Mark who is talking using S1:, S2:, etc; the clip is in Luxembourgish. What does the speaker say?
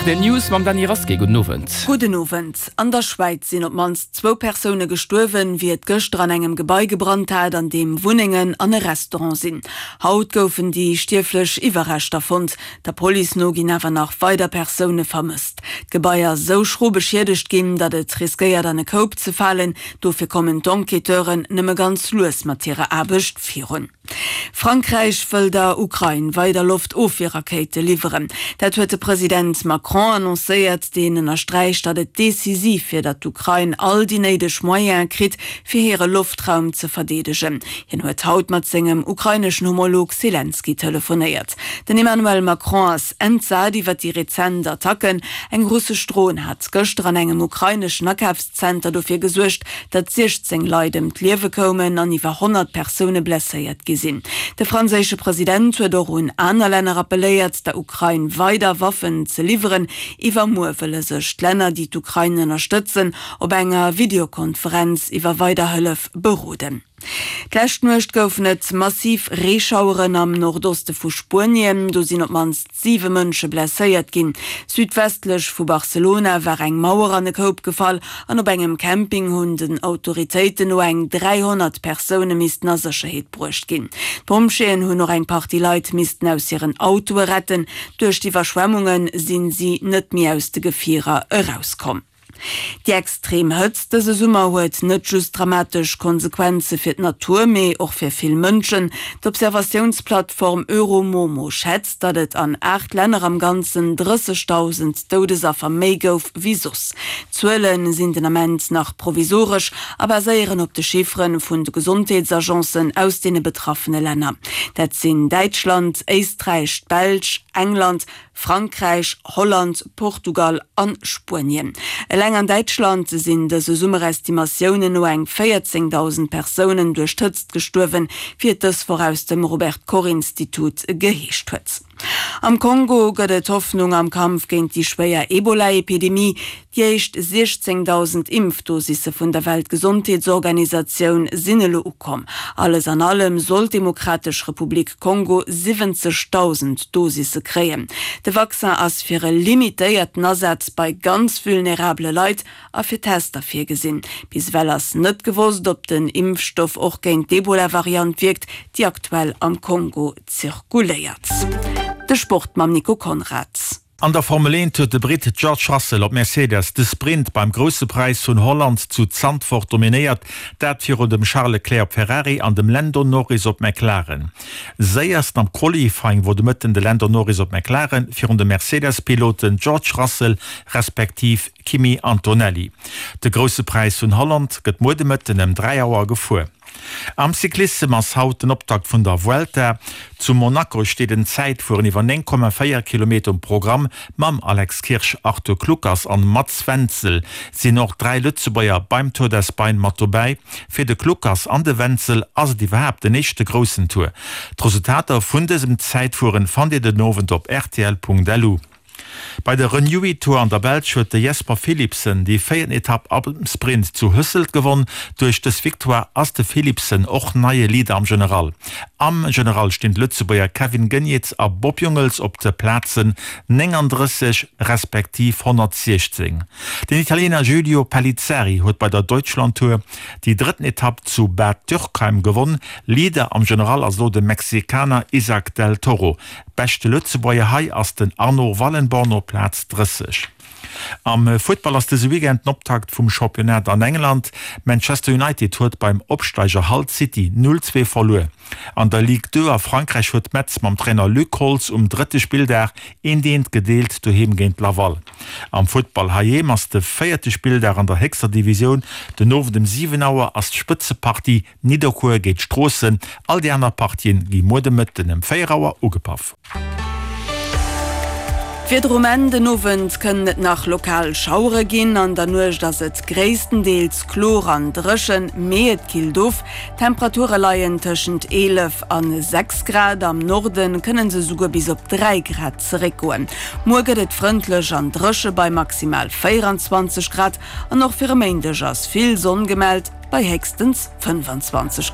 S1: Rtl News mam Dany Rasqué. Gudden Owend.
S2: Gudden Owend. An der Schwäiz sinn op d'mannst zwou Persoune gestuerwen, wéi et gëschter an engem Gebai gebrannt hat, an deem Wunnengen an e Restaurant sinn. Haut goufen déi stierflech Iwwerreschter fonnt. Der Police no ginn awer nach weider Persoune vermësst. D'Gebai ass esou schro beschiedegt ginn, datt et riskéiert an e Koup ze falen. Dofir kommen d'Enquêteuren nëmme ganz lues mat hirer Aarbecht virun. Frankräich wëll der Ukrain weider Loftofwierrakéite liwweren. Dat huet de President Macron annoncéiert, deen ënnersträicht, datt et decisiv wier, datt d'Ukrain all déi néideg Moyene kritt, fir hire Loftraum ze verdeedegen. Hien huet haut mat sengem ukraineschen Homolog Selenskyj telefonéiert. Den Emmanuel Macron ass entsat iwwer déi rezent Attacken. Eng russesch Dron hat gëschter an engem ukraineschen Akafs. Zenter dofir gesuergt, datt 16 Leit ëm d'Liewe koumen an iwwer 100 Persoune blesséiert gi sinn. De franséische President huet och un aner Länner appelléiert, der Ukrain weider Waffen ze liwweren. Iwwermuer wëlle sech d'Länner, déi d'Ukrain ënnerstëtzen, op enger Videokonferenz iwwer weider Hëllef beroden. D'lescht Nuecht goufen et massiv Reeschaueren am Nordoste vu Spuenien. Do sinn op d'mannst siwe Mënsche blesséiert ginn. Südwestlech vu Barcelona war eng Mauer an e Koup gefall an op engem Camping hunn den Autoritéiten no eng 300 Persoune missten a Sécherheet bruecht ginn. D'Pompjeeën hunn och eng Partie Leit missten aus hiren Autoe retten. Duerch d'Iwwerschwemmunge sinn si net méi aus de Gefierer erauskomm. Déi extrem Hëtzt dëse Summer huet net just dramatesch Konsequenze fir d'Natur, mee och fir vill Mënschen. D'Observatiounsplattform Euromomo schätzt, datt et an 8 Länner am Ganzen 30.000 Doudesaffer méi gouf wéi soss. D'Zuele sinn den Ament nach provisoresch a baséieren op de Chiffere vun de Gesondheetsagencen aus deene betraffene Länner. Dat sinn Däitschland, Éisträich, d'Belsch, England, Frankräich, Holland, Portugal an Spuenien. Eleng an Däitschland sinn dëse Summer Estimatiounen no eng 14.000 Persounen duerch d'Hëtzt gestuerwen, wéi et dës Woch aus dem Robert Koch Institut geheescht huet. Am Kongo gëtt et Hoffnung am Kampf géint déi schwéier Ebola-Epidemie. Déi éischt 16.000 Impfdosisse vun der Weltgesondheetsorganisatioun sinn elo ukomm. Alles an allem soll d'Demokratesch Republik Kongo 70.000 Dosisse kréien. De Vaccin ass fir e limitéierten Asaz bei ganz vulnerabele Leit a fir Tester virgesinn. Bis ewell ass net gewosst, ob den Impfstoff och géint d'Ebola-Variant wierkt, déi aktuell am Kongo zirkuléiert. De Sport mam Nico Conrad.
S3: An der Formel 1 huet de Britt George Russell op Mercedes de Sprint beim Grousse Präis vun Holland zu Zandvoort dominéiert, dat virun dem Charles Leclerc op Ferrari an dem Lando Norris op McLaren. Séiersten am Qualifying wor de Mëtten de Lando Norris op McLaren virun de Mercedes-Piloten George Russell respektiv Kimi Antonelli. De Grousse Präis vun Holland gëtt muer de Mëtten ëm 3 Auer gefuer. Am Cyclissem ass haut den Optakt vun der Vuelta. Zu Monaco steet en Zäitfueren iwwer 9,4 Kilometer um Programm. Mam Alex Kirsch, Arthur Kluckers an Mats Wenzel sinn och 3 Lëtzebuerger beim Tour d'Espagne mat dobäi. Fir de Kluckers an de Wenzel ass et iwwerhaapt den éischte groussen Tour. D'Resultater vun dësem Zäitfueren fannt Dir den Owend op rtl.lu. Bei der Renewi Tour an der Belsch huet de Jasper Philipsen déi véierten Etapp am Sprint zu Hësselt gewonn. Duerch dës Victoire ass de Philipsen och neie Leader am General. Am General stinn d'Lëtzebuerger Kevin Geniets a Bob Jungels op de Plazen 39 respektiv 116. Den Italiener Giulio Pellizzari huet bei der Deutschland Tour déi drëtten Etapp zu Bad Dürkheim gewonn. Leader am General ass elo de Mexikaner Isaac del Toro. Beschte Lëtzebuerger hei ass den Arnaud Wallenborn op Plaz 30. Am Futtball ass dëse Weekend den Optakt vum Championnat an England. Manchester United huet beim Opsteiger Hull City 0, 2 verluer. An der Ligue 2 a Frankräich huet Metz mam Trainer Luc Holtz um drëtte Spilldag eent eent gedeelt doheem géint Laval. Am Futtball heiheem ass de véierte Spilldag an der héchster Divisioun. Den Owend um 7 Auer ass d'Spëtzepartie Nidderkuer géint Stroossen. All déi aner Partien gi muer de Mëtten ëm 4 Auer ugepaff.
S2: D'Wieder um Enn, Den Owend kënnen et nach lokal Schauere ginn, an der Nuecht ass et gréisstendeels kloer an dréchen, mee et killt of. D'Temperature leien tëschent 11 an 6 Grad, am Norde kënne se esouguer bis op 3 Grad zeréckgoen. Muer gëtt et frëndlech an dréche bei maximal 24 Grad an och fir e Méindeg ass vill Sonn gemellt. Bei héchstens 25.